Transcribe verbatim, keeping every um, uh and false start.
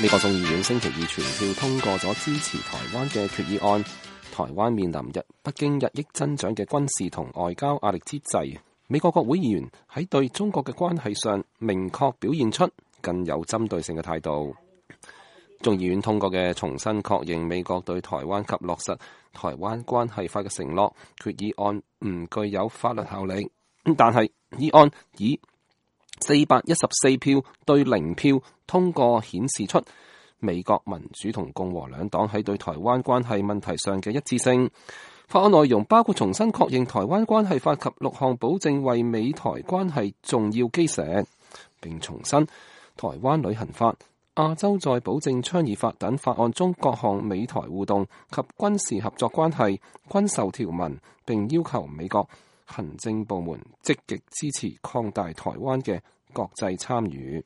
美國眾議院星期二全票通過咗支持台灣嘅決議案。台灣面臨日北京日益增長嘅軍事同外交壓力之際，美國國會議員喺對中國嘅關係上明確表現出更有針對性嘅態度。眾議院通過嘅重新確認美國對台灣及落實台灣關係法嘅承諾決議案唔具有法律效力，但係議案以四百一十四票對零票通過，顯示出美國民主同共和兩黨喺對台灣關係問題上嘅一致性。法案內容包括重新確認台灣關係法及六項保證為美台關係重要基石，並重申台灣旅行法、亞洲再保證倡議法等法案中各項美台互動及軍事合作關係均受條文，並要求美國行政部門積極支持擴大台灣嘅國際參與。